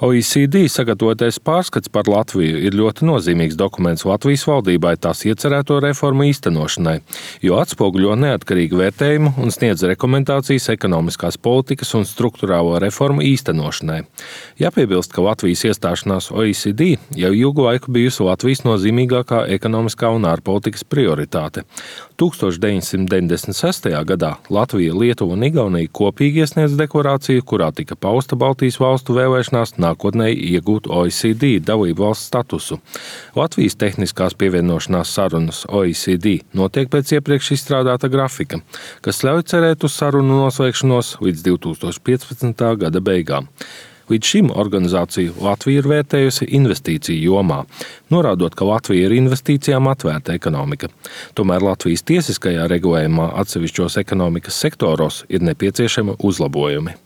OECD sagatavotais pārskats par Latviju ir ļoti nozīmīgs dokuments Latvijas valdībai tās iecerēto reformu īstenošanai, jo atspoguļo neatkarīgu vērtējumu un sniedz rekomendācijas ekonomiskās politikas un strukturālo reformu īstenošanai. Jāpiebilst, ka Latvijas iestāšanās OECD jau ilgu laiku bijusi Latvijas nozīmīgākā ekonomiskā un ārpolitikas prioritāte. 1996. gadā Latvija, Lietuva un Igaunija kopīgi iesniedz deklarāciju, kurā tika pausta Baltijas valstu vēlēšanās nākotnē iegūt OECD dalību valsts statusu. Latvijas tehniskās pievienošanās sarunas OECD notiek pēc iepriekš izstrādāta grafika, kas ļauj cerēt uz sarunu noslēgšanos līdz 2015. gada beigām. Līdz šim organizāciju Latvija ir vērtējusi investīciju jomā, norādot, ka Latvija ir investīcijām atvērta ekonomika. Tomēr Latvijas tiesiskajā regulējumā atsevišķos ekonomikas sektoros ir nepieciešami uzlabojumi.